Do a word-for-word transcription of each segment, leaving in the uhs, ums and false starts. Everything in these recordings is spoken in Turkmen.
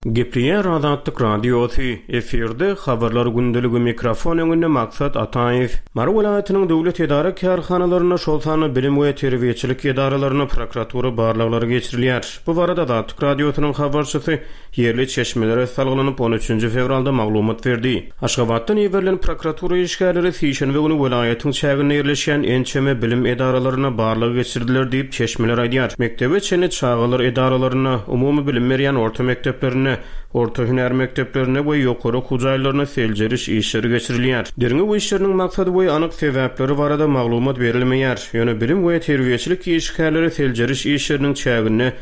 Gepleýär Azatlyk Radiosy, efirde Habarlar gündeligi, mikrofon öňünde Maksat Ataýew. Mary welaýatynyň döwlet edara-kärhanalarynda, şol sanda bilim we terbiýeçilik edaralarynda prokuratura barlaglary geçirilýär. Bu barada Azatlyk Radiosynyň habarçysy ýerli çeşmelere salgylanyp, on üçünji fewralda maglumat berdi. Aşgabatdan iberilen prokuratura işgärleri sişenbe güni welaýatyň çäginde ýerleşýän ençeme bilim edaralarynda barlag geçirdiler diýip, çeşmeler aýdýar. Mekdebe çenli çagalar edaralarynda, umumy bilim berýän orta mekdeplerinde, orta hünär mekdeplerinde we ýokary okuw jaýlarynda seljeriş işleri geçirilýär. Derňew işleriniň maksady we anyk sebäpleri barada maglumat berilmeýär. Ýöne bilim we terbiýeçilik işgärleri seljeriş işleriniň çäginde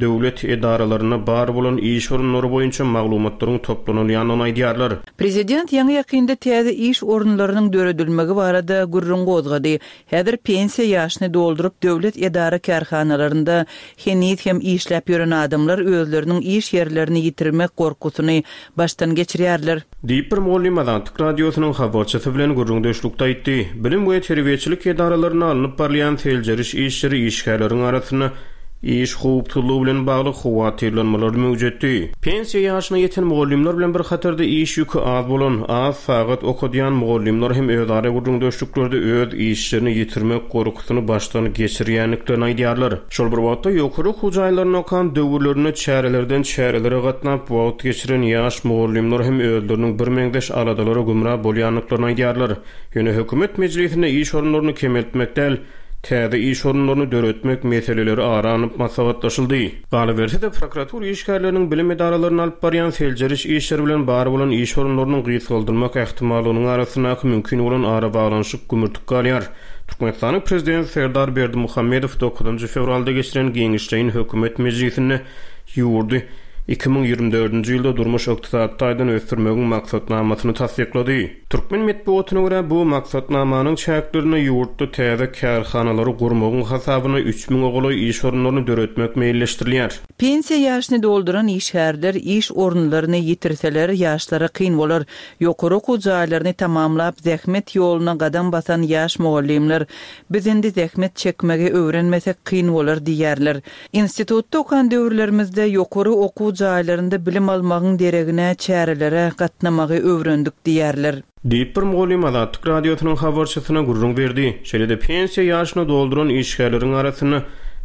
döwlet edaralarynda bar bolan iş orunlary boýunça maglumatlaryň toplanylýandygyny aýdýarlar. Prezident ýaňy-ýakynda täze iş orunlarynyň döredilmegi barada gürrüň gozgady. Häzir pensiýa ýaşyny dolduryp döwlet edara-kärhanalarynda heniz hem işläp ýören adamlar özleriniň iş ýerlerini ýitirmek gorkusyny başdan geçirýärler. Diýip, bir mugallym Azatlyk Radiosynyň habarçysy bilen gürrüňdeşlikde aýtdy. Bilim we terbiýeçilik edaralarynda alnyp barylýan seljeriş işleri işgärleriň arasynda iş howpsuzlygy bilen bagly howatyrlanmalary möwjetdi. Pensiýa ýaşyna ýeten mugallymlar bilen bir hatarda iş ýüki az bolan, az sagat okadýan mugallymlar hem özara gürrüňdeşliklerde öz işlerini ýitirmek gorkusyny başdan geçirýändiklerini aýdýarlar. Şol bir wagtda, ýokary okuw jaýlarynda okan döwürlerinde çärelerden çärelere gatnap wagt geçiren ýaş mugallymlar hem özleriniň birmeňzeş aladalara gümra bolýandyklaryny aýdýarlar. Ýöne hökümet mejlisinde iş orunlaryny kemeltmek däl, täze iş orunlaryny döretmek meseleleri ara alnyp maslahatlaşyldy. Galyberse-de, prokuratura işgärleriniň bilim edaralaryna alyp barýan seljeriş işleri bilen bar bolan iş orunlarynyň gysgaldylmak ähtimallygynyň arasyndaky mümkin bolan arabaglanyşyk gümürtik galýar. Türkmenistanyň Prezidenti Serdar Berdimuhamedow dokuzynjy fewralda geçiren giňişleýin hökümet mejlisinde ýurdy iki müň ýigrimi dördünji ýylda durmuş-ykdysady taýdan ösdürmegiň maksatnamasyny tassyklady. Türkmen metbugatyna görä, bu maksatnamanyň çäklerinde ýurtda täze kärhanalary gurmagyň hasabyna üç müňe golaý iş orunlaryny döretmek meýilleşdirilýär. Pensiýa ýaşyny dolduran işgärler iş orunlaryny ýitirseler, ýaşlara kyn bolar. Ýokary okuw jaýlaryny tamamlap, zähmet ýoluna gadam basan ýaş mugallymlar, Biz indi zähmet çekmegi öwrenmesek kyn bolar diýýärler. Institutda okan döwürlerimizde ýokary okuw jaýlarynda bilim almagyň deregine çärelere gatnamagy öwrendik diýýärler. Diýip, bir mugallym Azatlyk Radiosynyň habarçysyna gürrüň berdi. Şeýle-de pensiýa ýaşyny dolduran işgärleriň arasynda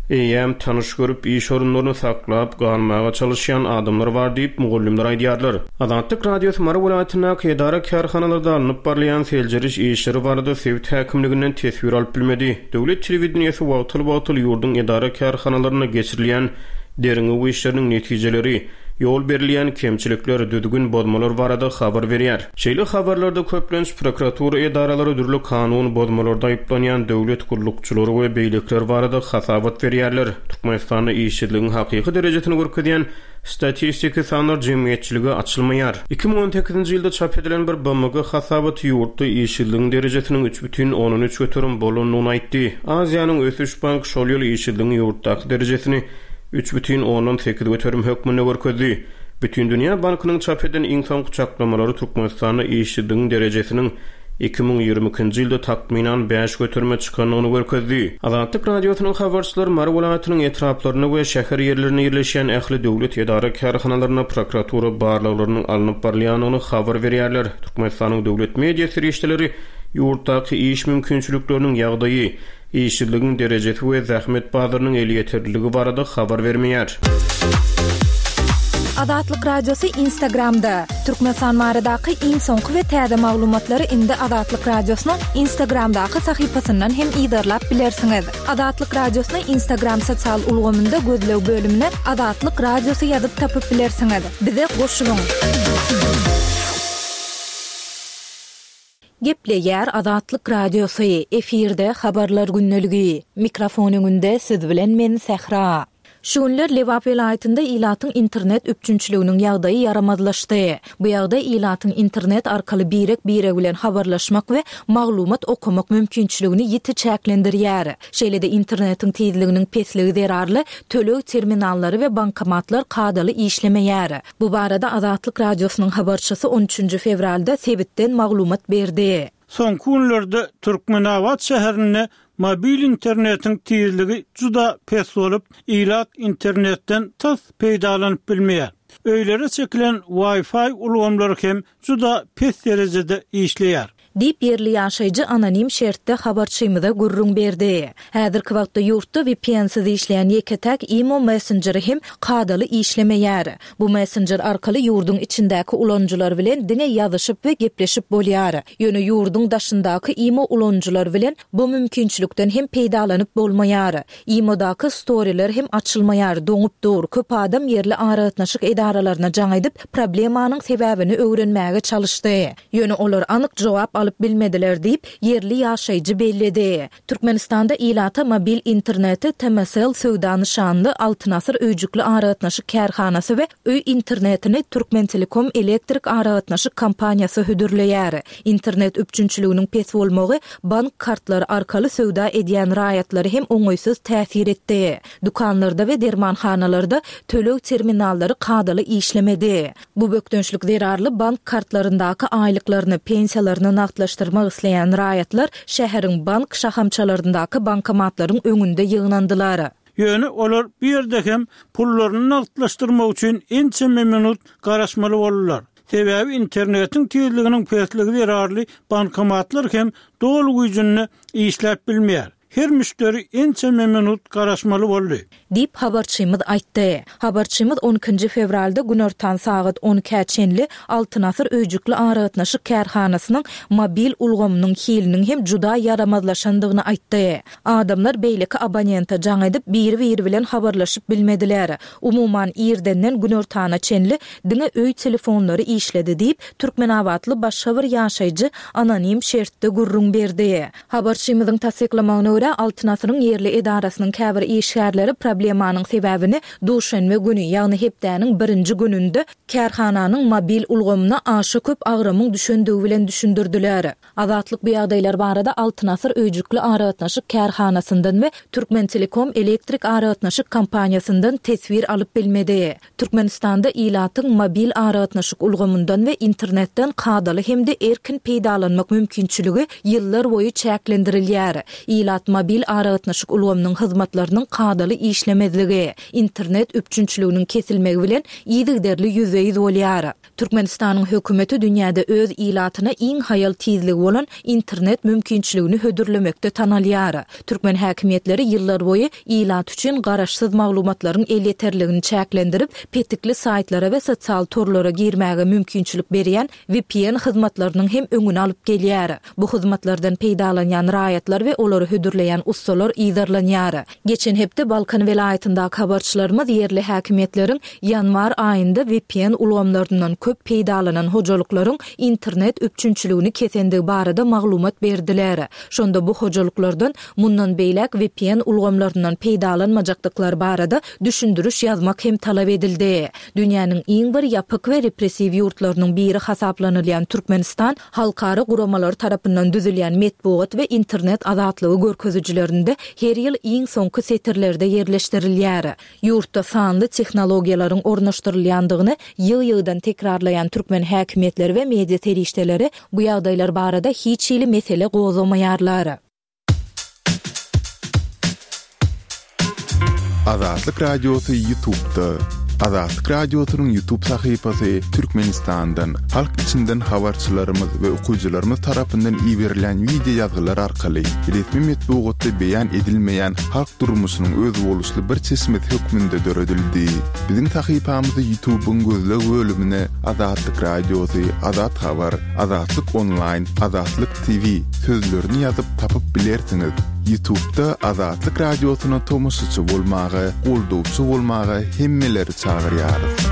eýýäm tanyş görüp, iş orunlaryny saklap galmaga çalyşýan adamlar bar diýip, mugallymlar aýdýarlar. Azatlyk Radiosy Mary welaýatyndaky edara-kärhanalarda alnyp barylýan seljeriş işleri barada sebit häkimliginden teswir alyp bilmedi. Döwlet telewideniýesi wagtal-wagtal ýurduň edara-kärhanalarynda geçirilýän derňew işleriniň netijeleri, ýol berilýän kemçilikler, düzgün bozmalar barada habar berýär. Şeýle habarlarda köplenç prokuratura edaralary dürli kanun bozmalarda aýyplanýan döwlet gullukçylary we beýlekiler barada hasabat berýärler. Türkmenistanda işsizligiň hakyky derejesini görkezýän statistiki sanlar jemgyýetçilige açylmaýar. Iki müň on sekizinji ýylda çap edilen bir B M G hasabaty ýurtda işsizligiň derejesiniň üç bütin ondan üç göterim bolandygyny aýtdy. Aziýanyň ösüş banky şol ýyl işsizligiň ýurtdaky derejesini üç bütin ondan sekiz göterim hökmünde görkezdi. Bütindünýä bankynyň çap eden iň soňky çaklamalary Türkmenistanda işsizligiň derejesiniň iki müň ýigrimi ikinji ýylda takmynan bäş göterime çykandygyny görkezdi. Azatlyk Radiosynyň habarçylary Mary welaýatynyň etraplarynda we şäher ýerlerinde ýerleşýän ähli döwlet edara-kärhanalarynda prokuratura barlaglarynyň alnyp barylýandygyny habar berýärler. Türkmenistanyň döwlet media serişdeleri ýurtdaky iş mümkinçilikleriniň ýagdaýy, işsizligiň derejesi we zähmet bazarynyň elýeterliligi barada habar bermeýär. Azatlyk Radiosy Instagramda. Türkmenistan baradaky iň soňky we täze maglumatlary indi Azatlyk Radiosynyň Instagramdaky sahypasyndan hem yzarlap bilersiňiz. Azatlyk Radiosyny Instagram sosial ulgamynda gözleg bölümine Azatlyk Radiosy ýazyp tapyp bilersiňiz. Bize goşulyň. Gepleýär Azatlyk Radiosy, efirde Habarlar gündeligi. Mikrofon öňünde siz bilen men Sähra. Şu günler Lebap welaýatynda ilatyň internet üpjünçiliginiň ýagdaýy ýaramazlaşdy. Bu ýagdaý ilatyň internet arkaly birek-birek bilen habarlaşmak we maglumat okamak mümkinçiligini ýiti çäklendirýär. Şeýle-de internetiň tizliginiň pesligi zerarly töleg terminallary we bankomatlar kadaly işlemeýär. Bu barada Azatlyk Radiosynyň habarçysy on üçünji fewralda sebitden maglumat berdi. Soňky günlerde Türkmenabat şäherinde mobil internetiň tizligi juda pes bolup, ilat internetden tas peýdalanyp bilmeýär. Öýlere çekilen Wi-Fi ulgamlary hem juda pes derejede işleýär. Diýip, ýerli ýaşaýjy anonim şertde habarçymyza gürrüň berdi. Häzirki wagtda ýurtda V P N-siz işleýän ýeke-täk Imo messenjeri hem kadaly işlemeýär. Bu messenjer arkaly ýurduň içindäki ulanyjylar bilen diňe ýazyşyp we gepleşip bolýar. Ýöne ýurduň daşyndaky Imo ulanyjylar bilen bu mümkinçilikden hem peýdalanyp bolmaýar. Imodaky storyler hem açylmaýar, doňup dur. Köp adam ýerli aragatnaşyk edaralaryna jaň edip, problemanyň sebäbini öwrenmäge çalyşdy. Ýöne olar anyk jogap alyp bilmediler diýip, ýerli ýaşaýjy belledi. Türkmenistanda ilata mobil interneti T M S L söwda nyşanly Altyn Asyr öýjükli aragatnaşyk kärhanasy we öý internetini Türkmentelekom elektrik aragatnaşyk kompaniýasy hödürleýär. Internet üpjünçiliginiň pes bolmagy bank kartlary arkaly söwda edýän raýatlary hem oňaýsyz täsir etdi. Dükanlarda we dermanhanalarda töleg terminallary kadaly işlemedi. Bu bökdençlik zerarly bank kartlaryndaky aýlyklaryny, pensiýalaryny nagtlaşdyrmak isleýän raýatlar şäheriň bank şahamçalaryndaky bankomatlaryň öňünde ýygnandylar. Ýöne olar bir ýerde hem pullaryny nagtlaşdyrmak üçin ençeme minut garaşmaly boldular. Sebäbi internetiň tizliginiň pesligi zerarly bankomatlar hem doly güýjünde işläp bilmeýär. Her müşderi ençeme minut garaşmaly boldy. Diýip, habarçymyz aýtdy. Habarçymyz on ikinji fewralda günortan sagat on ikä çenli Altyn Asyr öýjükli aragatnaşyk kärhanasynyň mobil ulgamynyň hiliniň hem juda ýaramazlaşandygyny aýtdy. Adamlar beýleki abonente jaň edip, biri-biri bilen habarlaşyp bilmediler. Umuman, irdenden günortana çenli diňe öý telefonlary işledi diýip, Türkmenabatly başga bir ýaşaýjy anonim şertde gürrüň berdi. Habarçymyzyň tassyklamagyna görä, Altyn Asyryň ýerli edarasynyň käbir işgärleri problemanyň sebäbini duşenbe güni, ýagny hepdäniň birinji gününde kärhananyň mobil ulgamyna aşa köp agramyň düşendigi bilen düşündirdiler. Azatlyk bu ýagdaýlar barada Altyn Asyr öýjükli aragatnaşyk kärhanasyndan we Türkmentelekom elektrik aragatnaşyk kompaniýasyndan teswir alyp bilmedi. Türkmenistanda ilatyň mobil aragatnaşyk ulgamyndan we internetden kadaly hem-de erkin peýdalanmak mümkinçiligi ýyllar boýy çäklendirilýär. Ilat mobil aragatnaşyk ulgamynyň hyzmatlarynyň kadaly işlemezligi, internet üpjünçiliginiň kesilmegi bilen yzygiderli ýüzbe-ýüz bolýar. Türkmenistanyň hökümeti dünýäde öz ilatyna iň haýal tizligi bolan internet mümkinçiligini hödürlemekde tanalýar. Türkmen häkimiýetleri ýyllar boýy ilat üçin garaşsyz maglumatlaryň elýeterligini çäklendirip, petikli saýtlara we sosial torlara girmäge mümkinçilik berýän V P N hyzmatlarynyň hem öňüni alyp gelýär. Bu hyzmatlardan peýdalanýan raýatlar we olary hödürleýän ussalar yzarlanýar. Geçen hepde Balkan welaýatyndaky habarçylarymyz ýerli häkimiýetleriň ýanwar aýynda V P N ulgamlaryndan köp peýdalanan hojalyklaryň internet üpjünçiligini kesendigi barada maglumat berdiler. Şonda bu hojalyklardan mundan beýläk V P N ulgamlaryndan peýdalanmajakdyklary barada düşündiriş ýazmak hem talap edildi. Dünýäniň iň bir ýapyk we repressiw ýurtlarynyň biri hasaplanylýan Türkmenistan halkara guramalary tarapyndan düzülýän metbugat we internet azatlygy görkezijilerinde her ýyl iň soňky setirlerde ýerleşdirilýär. Ýurtda sanly tehnologiýalaryň ornaşdyrylýandygyny ýygy-ýygydan tekrarlaýan türkmen häkimiýetleri we media serişdeleri bu ýagdaýlar barada hiç hili mesele gozgamaýarlar. Azatlyk Radiosy YouTube'da. Azatlyk Radiosynyň YouTube sahypasy Türkmenistandan, halk içinden habarçylarymyz we okyjylarymyz tarapyndan iberilen wideo ýazgylar arkaly resmi metbugatda beýan edilmeýän halk durmuşynyň özboluşly bir çeşmesi hökmünde döredildi. Biziň sahypamyzy YouTube'yň gözleg bölümine Azatlyk Radiosy, Azat Habar, Azatlyk Online, Azatlyk T V sözlerini ýazyp tapyp bilersiňiz. YouTube'da Azatlyk Radiosyna tomaşaçy bolmaga, goldawçy bolmaga hemmeleri çagyrýarys.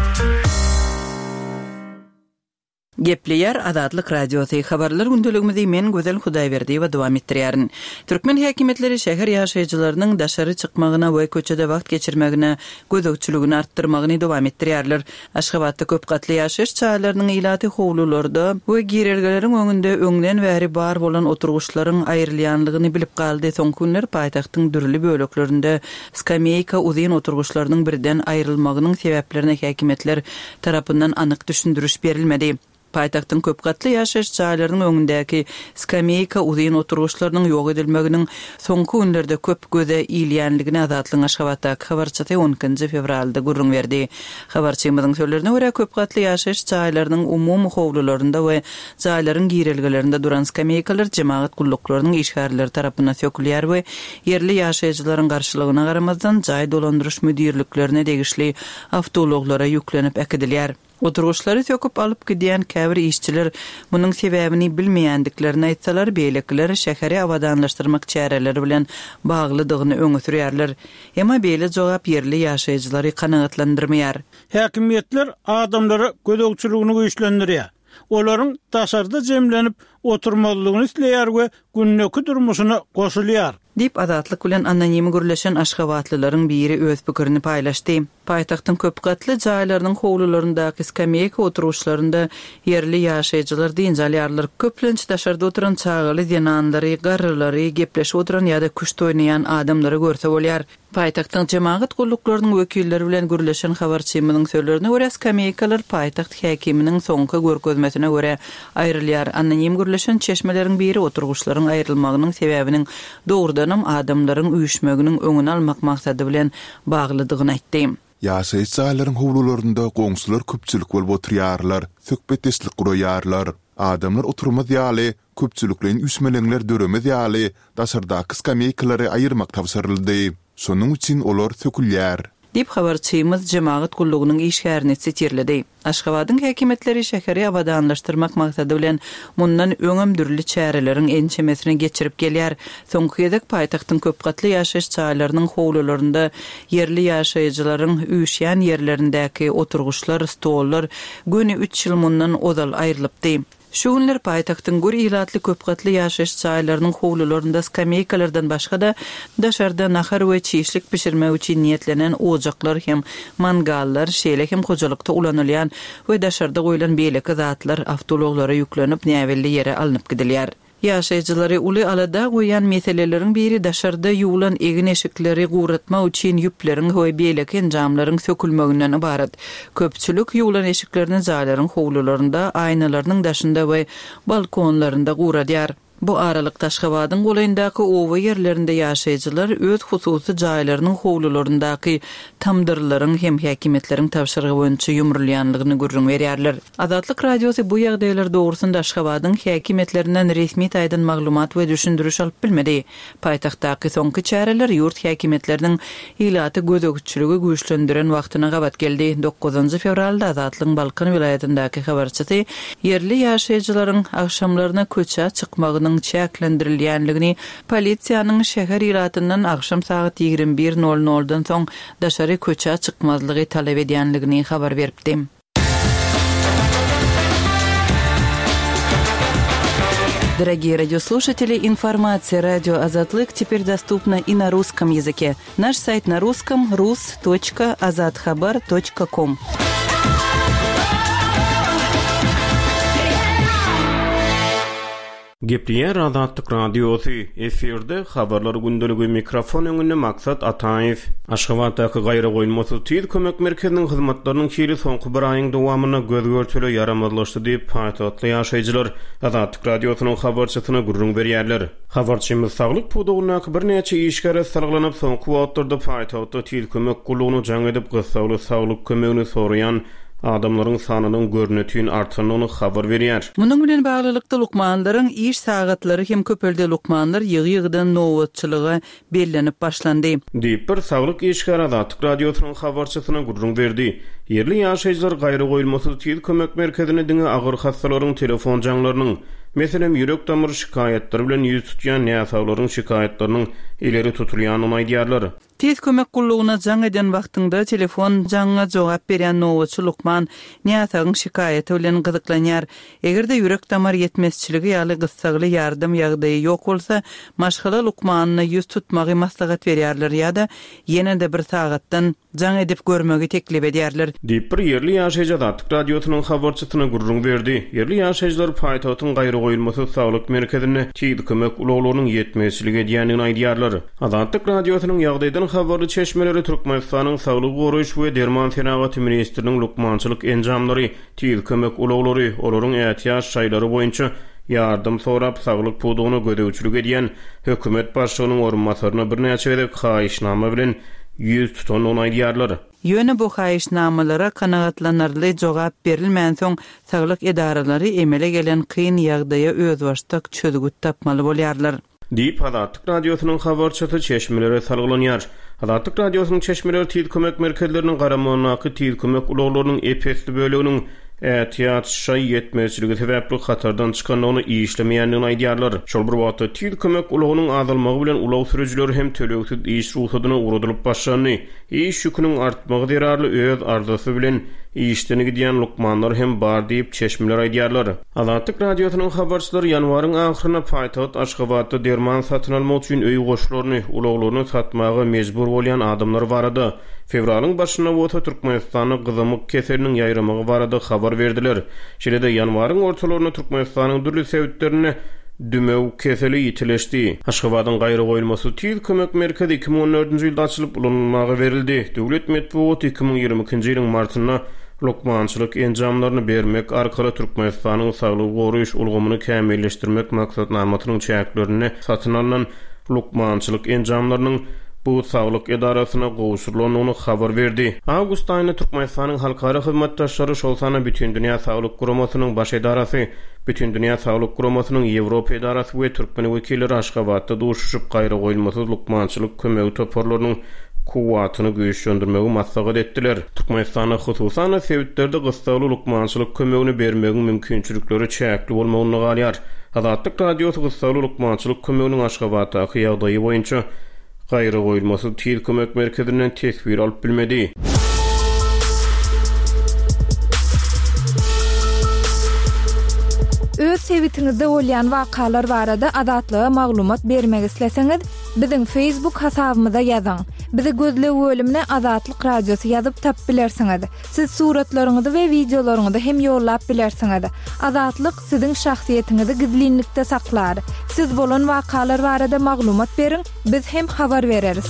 Gepleýär Azatlyk Radiosy, habarlar gündeligimizi men Gözel Hudaýberdiýewa dowam etdirýärin. Türkmen häkimiýetleri şäher ýaşaýjylarynyň daşary çykmagyna we köçede wagt geçirmegine gözegçiligini artdyrmagyny dowam etdirýärler. Aşgabatda köp gatly ýaşaýyş jaýlarynyň ilaty howlularda we girelgeleriň öňünde öňden bäri bar bolan oturgyçlaryň aýrylýanlygyny bilip galdy. Soňky günler paýtagtyň dürli böleklerinde skameýka uzyn oturgyçlarynyň birden aýrylmagynyň sebäplerine häkimiýetler tarapyndan anyk düşündiriş berilmedi. Paýtagtyň köp gatly ýaşaýyş jaýlarynyň öňündäki skameýka uzyn oturgyçlarynyň ýok edilmeginiň soňky günlerde köp göze ilýänligini Azatlygyň Aşgabatdaky habarçysy on ikinji fewralda gürrüň berdi. Habarçymyzyň sözlerine görä, köp gatly ýaşaýyş jaýlarynyň umumy howlularynda we jaýlaryň girelgelerinde duran skameýkalar jemagat gulluklarynyň işgärleri tarapyndan sökülýär we ýerli ýaşaýjylaryň garşylygyna garamazdan jaý dolandyryş müdirliklerine degişli awtoulaglara ýüklenip äkidilýär. Oturgyçlary söküp alyp gidýän käbir işçiler munuň sebäbini bilmeýändiklerini aýtsalar, beýlekiler şäheri abadanlaşdyrmak çäreleri bilen baglydygyny öňe sürýärler. Emma beýle jogap ýerli ýaşaýjylary kanagatlandyrmaýar. Häkimiýetler adamlara gözegçiligini güýçlendirýär. Olaryň daşarda jemlenip oturmazlygyny isleýär we gündeki durmuşyna goşulýar. Diýip Azatlyk bilen anonim gürleşen aşgabatlylaryň biri öz pikirini paýlaşdy. Paýtagtyň köp gatly jaýlarynyň howlularyndaky skameýka oturgyçlarynda ýerli ýaşaýjylar dynç alýarlar. Köplenç daşarda oturan çagaly zenanlary, garrylary, gepleşip oturan ýa-da küşt oýnaýan adamlary görse bolýar. Paýtagtyň jemagat gulluklarynyň wekilleri bilen gürleşen habarçymyzyň sözlerine görä, skameýkalar paýtagt häkiminiň soňky görkezmesine görä aýrylýar. Anonim gürleşen çeşmeleriň biri oturgyçlaryň aýrylmagynyň sebäbiniň dogrudanam adamlaryň üýşmeginiň öňüni almak maksady bilen baglydygyny aýtdy. Ýaşaýyş jaýlaryň howlularynda goňşular köpçülik bolup oturýarlar, söhbetdeşlik guraýarlar. Adamlar oturmaz ýaly, köpçülikleýin üýşmeleňler döremez ýaly daşardaky skameýkalary aýyrmak tabşyryldy. Şonuň üçin olar sökülýär. Diýip habarçymyz jemagat gullugynyň işgärini sitirledi. Aşgabadyň häkimiýetleri şäheri abadanlaşdyrmak maksady bilen mundan öňem dürli çäreleriň ençemesini geçirip gelýär. Soňky gezek paýtagtyň köp gatly ýaşaýyş jaýlarynyň howlularynda ýerli ýaşaýjylaryň üýşýän ýerlerindäki oturgyçlar, stollar göni üç ýyl mundan ozal aýrylypdy. Şu günler paýtagtyň gür ilatly köp gatly ýaşaýyş jaýlarynyň howlularynda skameýkalardan başga-da daşarda nahar we çişlik pişirmek üçin niýetlenen ojaklar hem mangallar, şeýle hem hojalykda ulanylýan we daşarda goýlan beýleki zatlar awtoulaglara ýüklenip näbelli ýere alnyp gidilýär. Ýaşaýjylary uly alada goýan meseleleriň biri daşarda ýuwlan egin-eşikleri guratmak üçin ýüpleriň we beýleki enjamlaryň sökülmeginden ybarat. Köpçülik ýuwlan eşiklerini jaýlaryň howlularynda, aýnalarynyň daşynda we balkonlarynda guradýar. Bu aralykda Aşgabadyň golaýyndaky oba ýerlerinde ýaşaýjylar öz hususy jaýlarynyň howlularyndaky tamdyrlaryň hem häkimiýetleriň tabşyrygy boýunça ýumrulýanlygyny gürrüň berýärler. Azatlyk Radiosy bu ýagdaýlar dogrusynda Aşgabadyň häkimiýetlerinden resmi taýdan maglumat we düşündiriş alyp bilmedi. Paýtagtdaky soňky çäreler ýurt häkimiýetleriniň ilaty gözegçiligi güýçlendiren wagtyna gabat geldi. Dokuzynjy fewralda Azatlygyň Balkan welaýatyndaky habarçysy ýerli ýaşaýjylaryň agşamlaryna köçä çykmagynyň çäklendirilýänligini, polisiýanyň şäher ilatyndan agşam sagat ýigrimi bir nol noldan soň daşary köçä çykmazlygy talap edýänligini habar beripdi. Дорогие радиослушатели, информация радио Азатлык теперь доступна и на русском языке. Наш сайт на русском рус точка азатхабар точка ком. Gepleýär Azatlyk Radiosy, efirde habarlar gündeligi mikrofon öňünde Maksat Ataýew. Aşgabatdaky gaýra goýulmasyz tiz kömek merkeziniň hyzmatlarynyň hili soňky bir aýyň dowamynda göz görtele ýaramazlaşdy diýip paýtagtly ýaşaýjylar Azatlyk Radiosynyň habarçysyna gürrüň berýärler. Habarçymyz saglyk pudagyndaky birnäçe işgäre salgylanyp soňky wagtlarda paýtagtda tiz kömek gullugyna jaň edip gyssagly saglyk kömegini soraýan adamlaryň sanynyň görnütün artandygyny habar berýär. Munuň bilen baglylykda lukmanlaryň iş sagatlary hem köpelde lukmanlar ýygy-ýygydan nobatçylyga bellenip başlandy. Diýip bir saglyk işgäri Azatlyk Radiosynyň habarçysyna gürrüň berdi. Ýerli ýaşaýjylar gaýra goýulmasyz tiz kömek merkezine diňe agyr hassalaryň telefon jaňlarynyň, meselem ýürek damar şikaýatlary bilen ýüz tutýan näsaglaryň şikaýatlarynyň ileri tutulýanyny aýdýarlar. Tiz kömek gullugyna jaň eden wagtyňda telefon jaňyna jogap berýän nobatçy lukman näsagyň şikaýaty bilen gyzyklanýar. Eger-de ýürek damar ýetmezçiligi ýaly gyssagly ýardam ýagdaýy ýok bolsa, maşgala lukmanyna ýüz tutmagy maslahat berýärler ýa-da ýene-de bir sagatdan jaň edip görmegi teklip edýärler. Diýip bir ýerli ýaşaýjy Azatlyk Radiosynyň habarçysyna gürrüň berdi. Ýerli ýaşaýjylar paýtagtyň gaýra goýulmasyz saglyk merkezinde tiz kömek ulaglarynyň ýetmezçilik edýändigini aýdýarlar. Azatlyk Radiosynyň ýagdaýdan Azatlygyň habarly çeşmeleri Türkmenistanyň Saglygy goraýyş we derman senagaty ministriniň lukmançylyk enjamlary, tiz kömek ulaglary, olaryň ätiýaç şaýlary boýunça ýardam sorap saglyk pudagyna gözegçilik edýän hökümet başlygynyň orunbasaryna birnäçe gezek haýyşnama bilen ýüz tutandygyny aýdýarlar. Ýöne bu haýyşnamalara kanagatlanarly jogap berilmänsoň, saglyk edaralary emele gelen kyn ýagdaýa özbaşdak çözgüt tapmaly bolýarlar. Diýip Azatlyk Radiosynyň habarçysy çeşmelere salgylanýar. Azatlyk Radiosynyň çeşmeleri tiz kömek merkezleriniň garamagyndaky tiz kömek ulaglarynyň ep-esli böleginiň ätiýaç şaý ýetmezçiligi sebäpli hatardan çykandygyny, işlemeýändigini aýdýarlar. Şol bir wagtda tiz kömek ulagynyň azalmagy bilen ulag sürüjileri hem tölegsiz iş rugsadyna ugradylyp başlandy. Iş ýüküniň artmagy zerarly öz arzasy bilen işden gidýän lukmanlar hem bar diýip çeşmeler aýdýarlar. Azatlyk Radiosynyň habarçylary ýanwaryň ahyrynda paýtagt Aşgabatda derman satyn almak üçin öý goşlaryny, ulaglaryny satmaga mejbur bolýan adamlar barada, fewralyň başynda bolsa Türkmenistanda gyzamyk keseliniň ýaýramagy barada habar berdiler. Şeýle-de ýanwaryň ortalarynda Türkmenistanyň dürli sebitlerinde dümew keseli ýitileşdi. Aşgabadyň gaýragoýulmasy tiz kömek merkezi iki müň on dördünji ýylda açylyp ulanylmaga berildi. Döwlet metbugaty iki müň ýigrimi ikinji ýylyň martynda lukmançylyk enjamlaryny bermek arkaly Türkmenistanyň saglygy goraýyş ulgamyny kämilleşdirmek maksatnamasynyň çäklerinde satyn alynan lukmançylyk enjamlarynyň bu saglyk edarasyna gowşurylandygyny habar berdi. Awgust aýynda Türkmenistanyň halkara hyzmatdaşlary, şol sanda Bütindünýä Saglyk Guramasynyň baş edarasy, Bütindünýä Saglyk Guramasynyň Ýewropa edarasy we türkmen wekilleri Aşgabatda duşuşyp gaýragoýulmasyz lukmançylyk kömegi toparlarynyň kuwwatyny güýçlendirmegi maslahat etdiler. Türkmenistanda hususan sebitlerde gyssagly lukmançylyk kömegini bermegiň mümkinçilikleri çäkli bolmagynda galýar. Azatlyk Radiosy gyssagly lukmançylyk kömeginiň Aşgabatdaky ýagdaýy boýunça gaýragoýulmasyz tiz kömek merkezinden teswir alyp bilmedi. Öz sebitiňizde bolýan wakalar barada Azatlyga maglumat bermek isleseňiz, biziň Facebook hasabymyza ýazyň. Bizi gözleg bölümine Azatlyk Radiosy ýazyp tap bilersiňiz. Siz suratlaryňyzy we wideolaryňyzy hem ýollap bilersiňiz. Azatlyk siziň şahsyýetiňizi gizlinlikde saklar. Siz bolan wakalar barada maglumat beriň, biz hem habar bereris.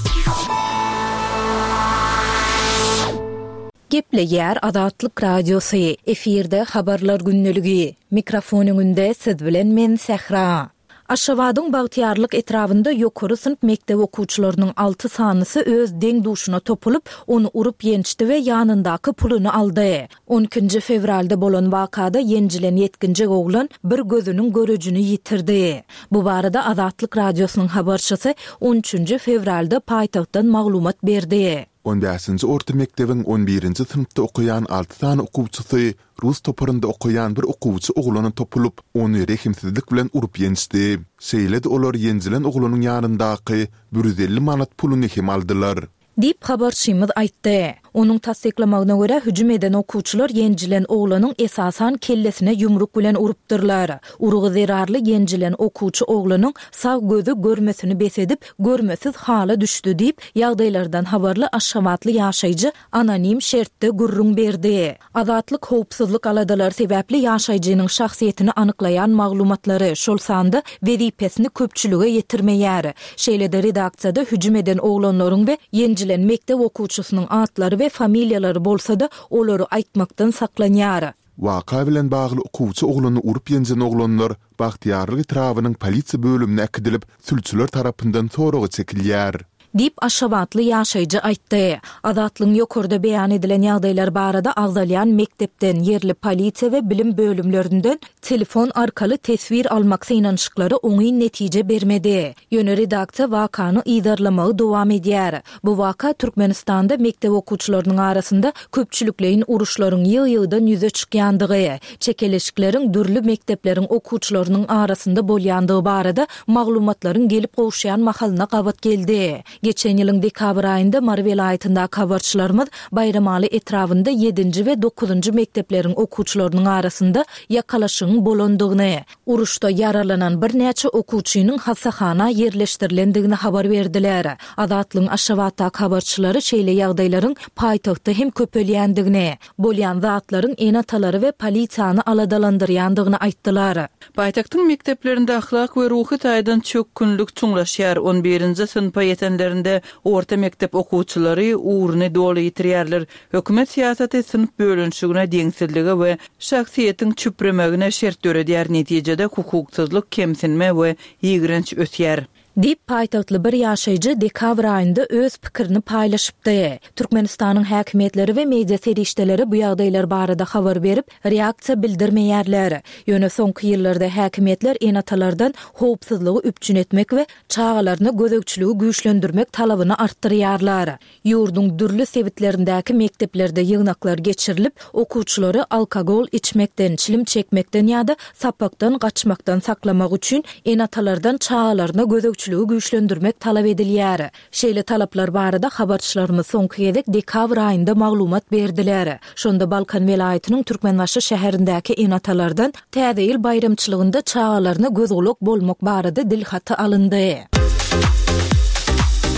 Gepleýär Azatlyk Radiosy, efirde habarlar gündeligi. Mikrofon öňünde siz bilen men Sähra. Aşgabadyň Bagtyýarlyk etrabynda ýokary synp mekdep okuwçylarynyň alty sanysy öz deň duşuna topulyp, ony urup ýençdi we ýanyndaky puluny aldy. on ikinji fewralda bolan wakada ýenjilen ýetginjek oglan bir gözüniň görejini ýitirdi. Bu barada Azatlyk Radiosynyň habarçysy on üçünji fewralda paýtagtdan maglumat berdi. on bäşinji orta mekdebiň on birinji synpda okaýan alty sany okuwçysy rus toparynda okaýan bir okuwçy oglana topulyp, ony rehimsizlik bilen urup ýençdi. Şeýle-de olar ýenjilen oglanyň ýanyndaky bir ýüz elli manat puluny hem aldylar. Diýip habarçymyz aýtdy. Onuň tassyklamagyna görä hüjüm eden okuwçylar ýenjilen oglanyň esasan kellesine ýumruk bilen urupdyrlar. Urgy zerarly ýenjilen okuwçy oglanyň sag gözi görmesini bes edip, görmesiz hala düşdi diýip, ýagdaýlardan habarly Aşgabatly ýaşaýjy anonim şertde gürrüň berdi. Azatlyk howpsuzlyk aladalary sebäpli ýaşaýjynyň şahsyýetini anyklaýan maglumatlary, şol sanda wezipesini köpçülige ýetirmeýär. Şeýle-de redaksiýada hüjüm eden oglanlaryň we ýenjilen mekdep okuwçysynyň atlary we familiýalary bolsa-da olary aýtmakdan saklanýar. Waka bilen bagly okuwçy oglany urup ýenjen oglanlar Bagtyýarlyk etrabynyň polisiýa bölümine äkidilip, sülçüler tarapyndan soraga çekilýär. Diýip Aşgabatly ýaşaýjy aýtdy. Azatlygyň ýokarda beýan edilen ýagdaýlar barada agzalýan mekdepden, ýerli polisiýa we bilim bölümlerinden telefon arkaly teswir almak synanyşyklary oňyn netije bermedi. Ýöne redaksiýa wakany yzarlamagy dowam edýär. Bu waka Türkmenistanda mekdep okuwçylarynyň arasynda köpçülikleýin uruşlaryň ýygy-ýygydan ýüze çykýandygy, çekeleşikleriň dürli mekdepleriň okuwçylarynyň arasynda bolýandygy barada maglumatlaryň gelip gowuşýan mahalyna gabat geldi. Geçen ýylyň dekabr aýynda Mary welaýatyndaky habarçylarymyz Baýramaly etrabynda ýedinji we dokuzynjy mekdepleriň okuwçylarynyň arasynda ýakalaşygyň bolandygyny, uruşda ýaralanan birnäçe okuwçynyň hassahana ýerleşdirilendigini habar berdiler. Azatlygyň Aşgabatdaky habarçylary şeýle ýagdaýlaryň paýtagtda hem köpelýändigini, bolýan zatlaryň ene-atalary we polisiýany aladalandyrýandygyny aýtdylar. Paýtagtyň mekdeplerinde ahlak we ruhy taýdan çökgünlik çuňlaşýar. On birinji synpa ýetenlerinde mekdeplerinde orta mekdep okuwçylary ugruny doly ýitirýärler. Hökümet syýasaty synp bölünişigine, deňsizlige we şahsyýetiň çüpremegine şert döredýär. Netijede hukuksyzlyk, kemsinme we ýigrenç ösýär. Diýip, paýtagtly bir ýaşaýjy dekabr aýynda öz pikirini paýlaşypdy. Türkmenistanyň häkimiýetleri we media serişdeleri bu ýagdaýlar barada habar berip, reaksiýa bildirmeýärler. Ýöne soňky ýyllarda häkimiýetler ene-atalardan howpsuzlygy üpjün etmek we çagalaryna gözegçiligi güýçlendirmek talabyny artdyrýarlar. Ýurduň dürli sebitlerindäki mekdeplerde ýygnaklar geçirilip, okuwçylary alkogol içmekden, çilim çekmekden ýa-da sapakdan gaçmakdan saklamak üçin ene-atalardan çagalaryna gözegçiligi güýçlendirmek talap edilýär. Şeýle talaplar barada habarçylarymyz soňky gezek dekabr aýynda maglumat berdiler. Şonda Balkan welaýatynyň Türkmenbaşy şäherindäki ene-atalardan Täze ýyl baýramçylygynda çagalaryna göz-gulak bolmak barada dilhaty alyndy.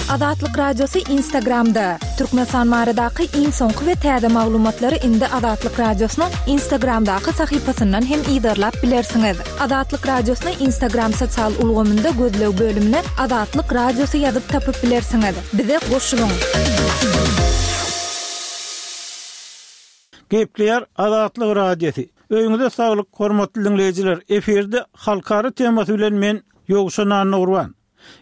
Azatlyk Radiosy Instagramda. Türkmenistan baradaky iň soňky we täze maglumatlary indi Azatlyk Radiosynyň Instagramdaky sahypasyndan hem yzarlap bilersiňiz. Azatlyk Radiosyny Instagram sosial ulgamynda gözleg bölümine Azatlyk Radiosy ýazyp tapyp bilersiňiz. Bize goşulyň! Gepleýär Azatlyk Radiosy. Öýüňize saglyk, hormatly diňleýjiler! Efirde halkara temasy bilen men, Ýowşan Annagurban.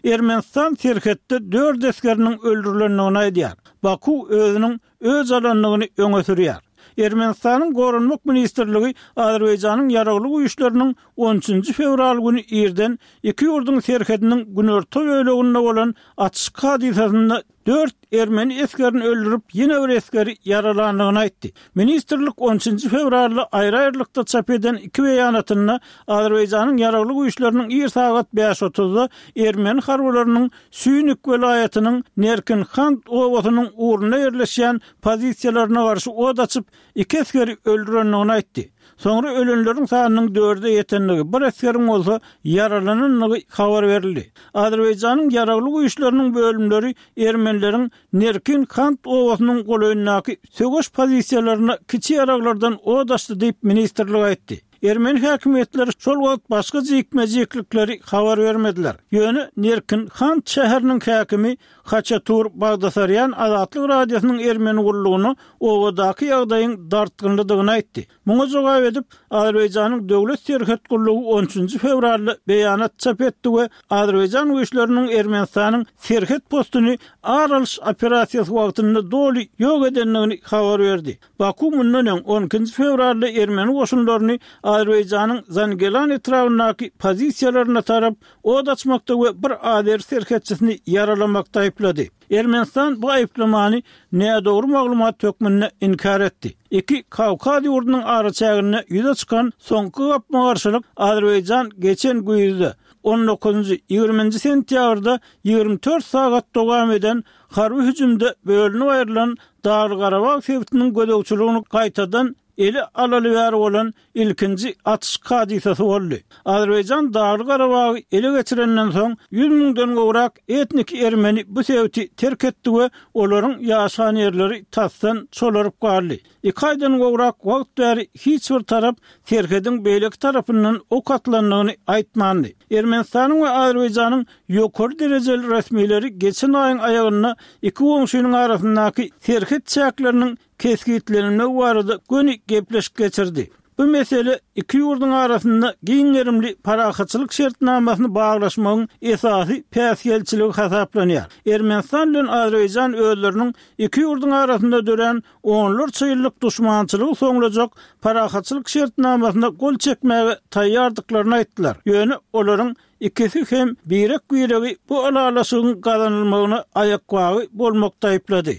Ermenistan serhetde dört esgeriniň öldürilendigini aýdýar. Baku özüniň öç alandygyny öňe sürýär. Ermenistanyň Goranmak ministrligi Azerbaýjanyň ýaragly güýçleriniň on üçünji fewral güni irden iki ýurduň serhediniň günorta böleginde bolan atyşyk hadysasynda dört ermeni esgerini öldürip, ýene bir esgeri ýaralandygyny aýtdy. Ministrlik on üçünji fewralda aýry-aýrylykda çap eden iki beýanatynda Azerbaýjanyň ýaragly güýçleriniň ir sagat bäş otuzda ermeni harbylarynyň Sýunik welaýatynyň Nerkinhand obasynyň ugrunda ýerleşýän pozisiýalaryna garşy ot açyp, iki esgeri öldürendigini aýtdy. Soňra ölenleriň sanynyň dörde ýetendigi, bir esgeriň bolsa ýaralanandygy habar berildi. Azerbaýjanyň ýaragly güýçleriniň bölümleri ermenileriň Nerkin Kant obasynyň golaýyndaky söweş pozisiýalaryna kiçi ýaraglardan ot açdy diýip, ministrlik aýtdy. Ermeni häkimiýetleri şol wagt başga jikme-jiklikleri habar bermediler. Ýöne Nerkin Kant şäheriniň häkimi Haçatur Bagdasarýan Azatlyk Radiosynyň ermeni gullugyna obadaky ýagdaýyň dartgynlydygyny aýtdy. Muňa jogap edip, Azerbaýjanyň Döwlet serhet gullugy on üçünji fewralda beýanat çap etdi we Azerbaýjan güýçleriniň Ermenistanyň serhet postuny ar alyş operasiýasy wagtynda doly ýok edendigini habar berdi. Baku mundan öň, on ikinji fewralda ermeni goşunlaryny Azerbaýjanyň Zangelan etrabyndaky pozisiýalaryna tarap ot açmakda we bir azeri serhetçisini ýaralamakda aýyplady. Ermenistan bu aýyplamany nädogry maglumat hökmünde inkär etdi. Iki Kawkaz ýurdunyň araçäginde ýüze çykan soňky gapma-garşylyk Azerbaýjan geçen güýzde, on dokuzynjy, ýigriminji sentýabrda ýigrimi dört sagat dowam eden harby hüjümde bölünip aýrylan Dagly-Garabag sebitiniň gözegçiligini gaýtadan ele alaly bäri bolan ilkinji atyşyk hadysasy boldy. Azerbaýjan Dagly-Garabagy ele geçirenden soň, ýüz müňden gowrak etniki ermeni bu sebiti terk etdi we olaryň ýaşan ýerleri tasdan çolaryp galdy. Iki aýdan gowrak wagt bäri hiç bir tarap serhediň beýleki tarapyndan ok atylandygyny aýtmandy. Ermenistanyň we Azerbaýjanyň ýokary derejeli resmileri geçen aýyň aýagynda iki goňşynyň arasyndaky serhet çäkleriniň kesgitlenilmegi barada göni gepleşik geçirdi. Bu mesele iki ýurduň arasynda giň gerimli parahatçylyk şertnamasyny baglaşmagyň esasy päsgelçiligi hasaplanýar. Ermenistan bilen Azerbaýjan özleriniň iki ýurduň arasynda dörän onlarça ýyllyk duşmançylygy soňlajak parahatçylyk şertnamasyna gol çekmäge taýýardyklaryny aýtdylar. Ýöne olaryň Ikisi hem birek-biregi bu ylalaşygyň gazanylmagyna aýakbagy bolmakda aýyplady.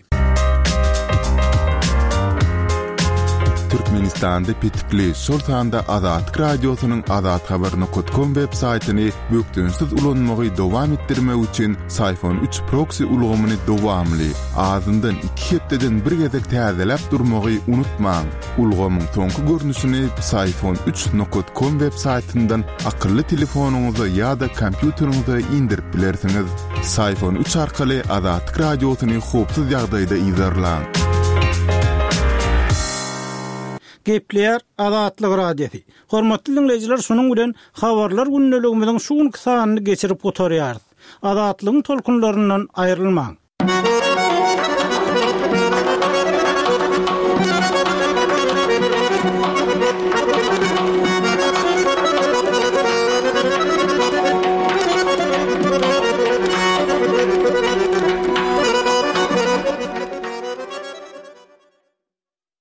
Türkmenistanda petikli, şol sanda Azatlyk Radiosynyň azathabar nokat kom web saýtyny bökdençsiz ulanmagy dowam etdirmek üçin Syfon üç proksi ulgamyny dowamly, azyndan iki hepdeden bir gezek täzeläp durmagy unutmaň. Ulgamyň soňky görnüşini Psiphon üç nokat kom web saýtyndan akylly telefonyňyza ýa-da kompýuteriňize indirip bilersiňiz. Psiphon üç arkaly Azatlyk Radiosyny howpsuz ýagdaýda yzarlaň. Gepleýär Azatlyk Radiosy. Hormatly diňleýjiler, şunuň bilen Habarlar gündeligimiziň şu günki sanyny geçirip gutarýarys. Azatlygyň tolkunlaryndan aýrylmaň.